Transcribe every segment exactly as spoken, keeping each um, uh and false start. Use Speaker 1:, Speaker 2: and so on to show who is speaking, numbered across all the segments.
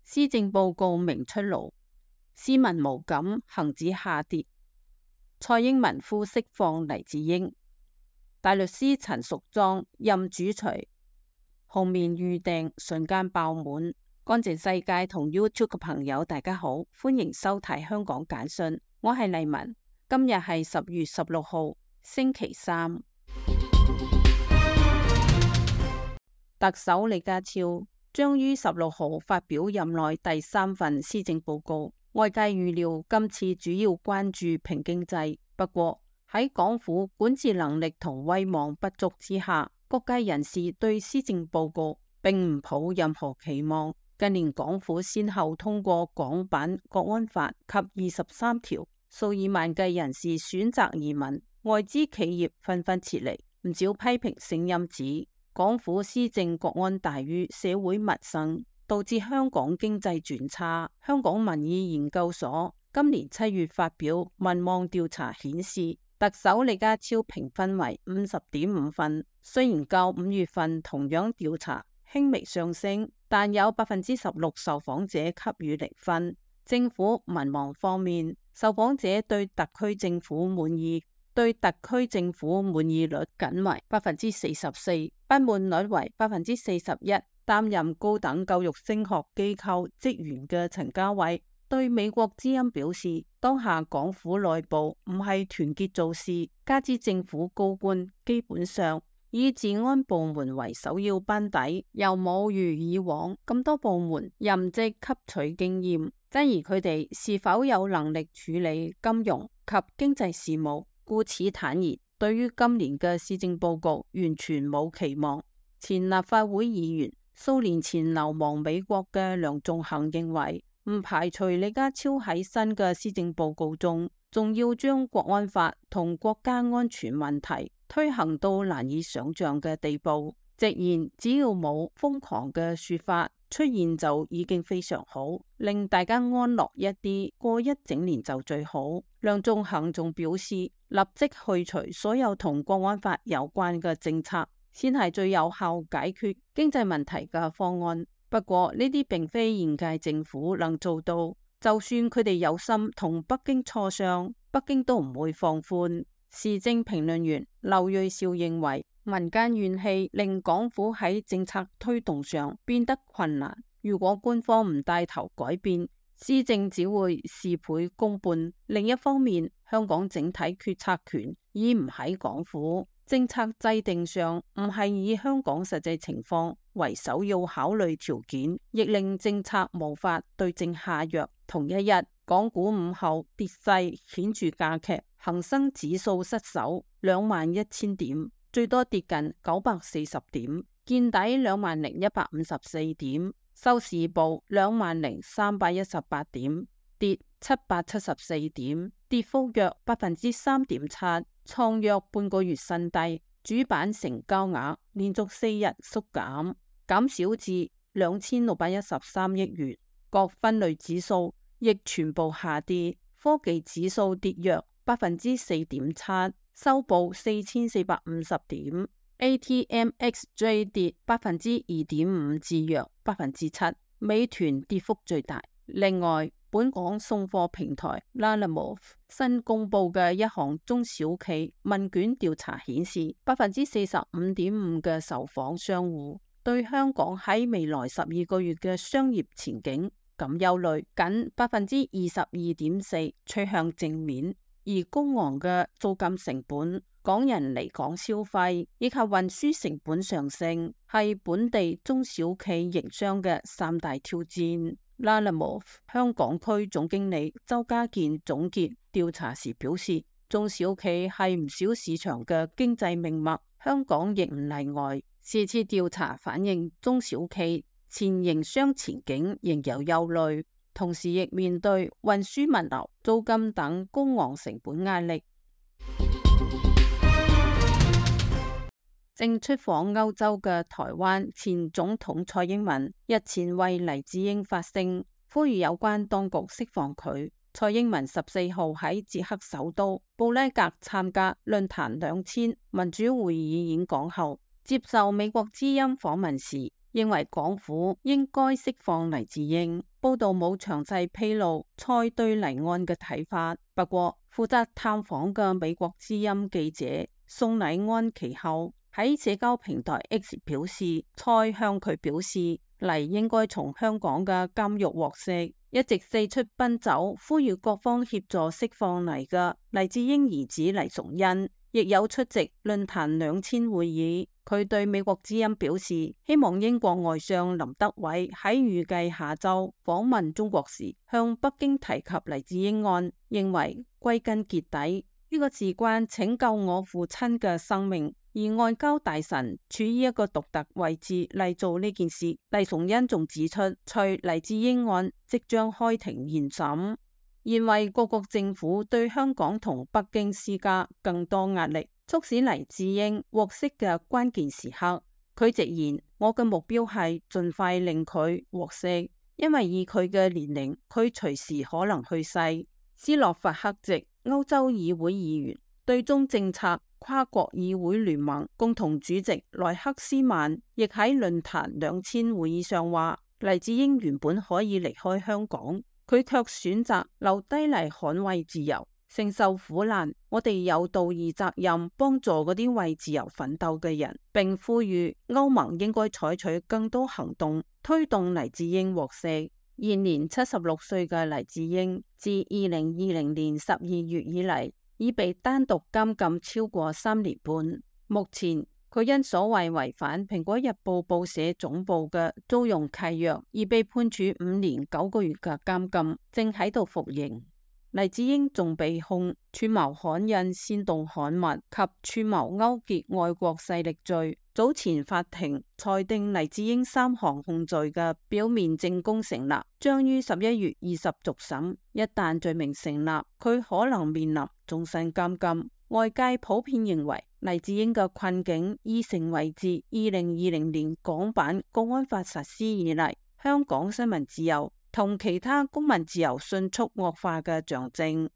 Speaker 1: 施政報告明出爐，市民無感恒指下跌，蔡英文呼釋放黎智英，大律師陳淑莊任主廚，紅棉預訂瞬間爆滿。乾淨世界同 YouTube 嘅朋友大家好，歡迎收睇香港簡訊，我係麗文，今日係十月十六號星期三。特首李家超將於十六號發表任內第三份施政報告，外界預料今次主要關注拼經濟。不過喺港府管治能力同威望不足之下，各界人士對施政報告並唔抱任何期望。近年港府先後通過港版國安法及二十三條，數以萬計人士選擇移民，外資企業紛紛撤離，唔少批評聲音指港府施政國安大於社會民生，導致香港經濟轉差。香港民意研究所今年七月發表民望調查顯示，特首李家超評分為五十點五分，雖然較五月份同樣調查輕微上升，但有百分之十六受訪者給予零分。政府民望方面，受訪者對特區政府滿意對特區政府滿意率僅為百分之四十四，不滿率為百分之四十一。擔任高等教育升學機構職員嘅陳家偉對美國之音表示，當下港府內部唔係團結做事，加之政府高官基本上以治安部門為首要班底，又冇如以往咁多部門任職吸取經驗，質疑佢哋是否有能力處理金融及經濟事務。故此坦言，對於今年嘅施政報告完全冇期望。前立法會議員、數年前流亡美國嘅梁頌恆認為，唔排除李家超喺新嘅施政報告中，仲要將國安法同國家安全問題推行到難以想象嘅地步。直言只要冇瘋狂嘅說法出現就已經非常好，令大家安樂一啲，過一整年就最好。梁頌恆仲表示，立即去除所有同國安法有關嘅政策，先係最有效解決經濟問題嘅方案。不過呢啲並非現屆政府能做到，就算佢哋有心同北京磋商，北京都唔會放寬。時政評論員劉銳紹認為，民間怨氣令港府喺政策推動上變得困難，如果官方唔帶頭改變，施政只會事倍功半。另一方面，香港整體決策權已唔喺港府，政策制定上唔係以香港實際情況為首要考慮條件，亦令政策無法對症下藥。同一日，港股午後跌勢顯著加劇，恒生指數失守兩萬一千點，最多跌近九百四十點，見底兩萬零一百五十四點，收市報兩萬零三百一十八點，跌七百七十四點，跌幅約百分之三點七，創約半個月新低。主板成交額連續四日縮減，減少至兩千六百一十三億元。各分類指數亦全部下跌，科技指數跌約百分之四點七，收報四千四百五十點。A T M X J 跌百分之二點五至約百分之七，美團跌幅最大。另外，本港送貨平台 Lalamove 新公布嘅一項中小企問卷調查顯示，百分之四十五點五嘅受訪商戶對香港喺未來十二個月嘅商業前景感憂慮，僅百分之二十二點四趨向正面。而高昂嘅租金成本、港人離港消費以及運輸成本上升，係本地中小企營商嘅三大挑戰。Lalamove 香港區總經理周家健總結調查時表示，中小企係唔少市場嘅經濟命脈，香港亦唔例外。是次調查反映中小企前營商前景仍有憂慮，同時亦面對運輸物流、租金等高昂成本壓力。正出訪歐洲嘅台灣前總統蔡英文日前為黎智英發聲，呼籲有關當局釋放佢。蔡英文十四號喺捷克首都布拉格參加論壇兩千民主會議演講後，接受美國之音訪問時，認為港府應該釋放黎智英。報道冇詳細披露蔡對黎案嘅睇法，不過負責探訪嘅美國之音記者宋禮安其後喺社交平台 X 表示，蔡向佢表示黎應該從香港嘅監獄獲釋。一直四出奔走呼籲各方協助釋放黎嘅黎智英兒子黎崇恩亦有出席論壇兩千會議。佢對美國之音表示，希望英國外相林德偉喺預計下週訪問中國時向北京提及黎智英案，認為歸根結底呢個事關拯救我父親嘅生命，而外交大臣處於一個獨特位置嚟做呢件事。黎崇恩仲指出，隨黎智英案即將開庭研審，認為各國政府對香港同北京施加更多壓力，促使黎智英獲釋嘅關鍵時刻。佢直言，我嘅目標係盡快令佢獲釋，因為以佢嘅年齡，佢隨時可能去世。斯洛伐克籍歐洲議會議員、對中政策跨國議會聯盟共同主席萊克斯曼亦喺論壇兩千會議上話，黎智英原本可以離開香港，佢卻選擇留低嚟捍衛自由，承受苦難。我哋有道義責任幫助嗰啲為自由奮鬥嘅人，並呼籲歐盟應該採取更多行動，推動黎智英獲釋。現年七十六歲嘅黎智英，自二零二零年十二月以嚟，已被單獨監禁超過三年半。目前佢因所謂違反蘋果日報報社總部嘅租用契約，而被判處五年九個月嘅監禁，正喺度服刑。黎智英仲被控串謀刊印煽動刊物及串謀勾結外國勢力罪。早前法庭裁定黎智英三項控罪嘅表面證供成立，將於十一月二十續審。一旦罪名成立，佢可能面臨終身監禁。外界普遍認為黎智英嘅困境已成為自二零二零年港版國安法實施以嚟，香港新聞自由同其他公民自由迅速惡化嘅象徵。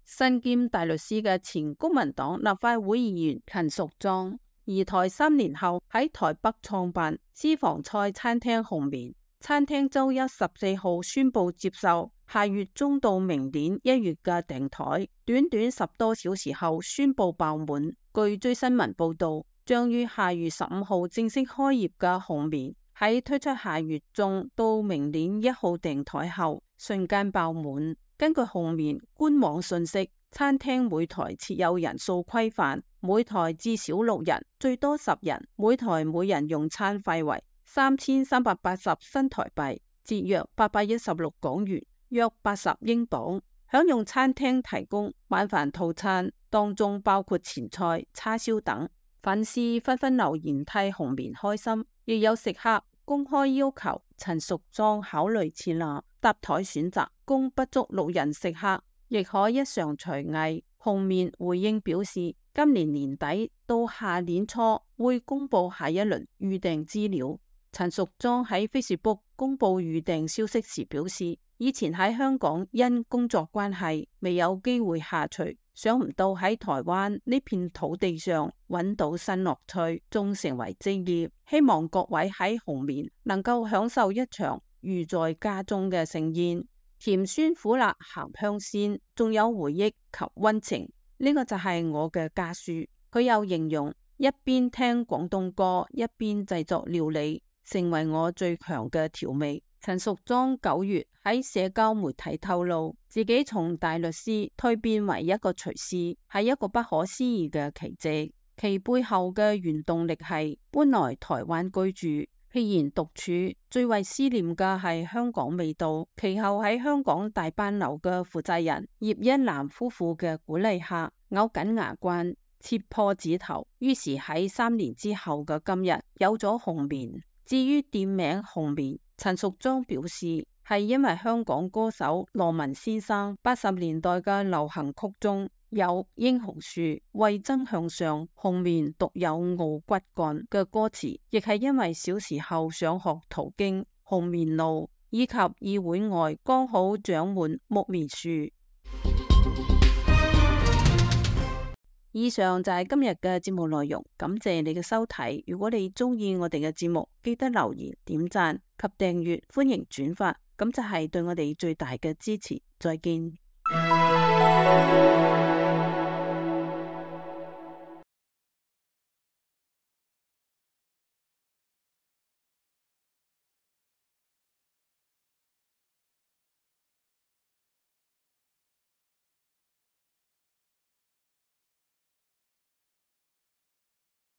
Speaker 1: 身兼大律師嘅前公民黨立法會議員陳淑莊，移台三年後喺台北創辦私房菜餐廳紅棉。餐廳周一十四號宣布接受下月中到明年一月嘅訂台，短短十多小時後宣布爆滿。據追新聞報道，將於下月十五號正式開業嘅紅棉，喺推出下月中到明年一號訂台後，瞬間爆滿。根據紅棉官網信息，餐廳每台設有人數規範，每台至少六人，最多十人。每台每人用餐費為三千三百八十新台幣，折約八百一十六港元，約八十英鎊。享用餐廳提供晚飯套餐，當中包括前菜、叉燒等。粉絲紛紛留言替紅棉開心，亦有食客公開要求陳淑莊考慮設立搭台選擇，供不足六人食客亦可一嘗廚藝。紅棉回應表示，今年年底到下年初會公布下一輪預訂資料。陳淑莊喺 Facebook 公布預訂消息時表示，以前喺香港因工作關係未有機會下廚，想唔到喺台灣呢片土地上揾到新樂趣，仲成為職業。希望各位喺紅棉能夠享受一場如在家中嘅盛宴，甜酸苦辣鹹香鮮，仲有回憶及溫情。呢個就係我嘅家書。佢又形容一邊聽廣東歌一邊製作料理，成為我最強嘅調味。陳淑莊九月喺社交媒體透露，自己從大律師蛻變為一個廚師，係一個不可思議嘅奇蹟。其背後嘅原動力係搬來台灣居住，既然獨處，最為思念嘅係香港味道。其後喺香港大班樓嘅負責人葉一男夫婦嘅鼓勵下，咬緊牙關，切破指頭，於是喺三年之後嘅今日有咗紅棉。至於店名紅棉，陳淑莊表示係因為香港歌手羅文先生八十年代嘅流行曲中有英雄樹、為爭向上、紅棉獨有傲骨幹嘅歌詞，亦係因為小時候上學途經紅棉路以及議會外剛好長滿木棉樹。以上就係今日嘅節目內容，感謝你嘅收睇。如果你中意我哋嘅節目，記得留言、點讚及訂閱，歡迎轉發，咁就係對我哋最大嘅支持。再見。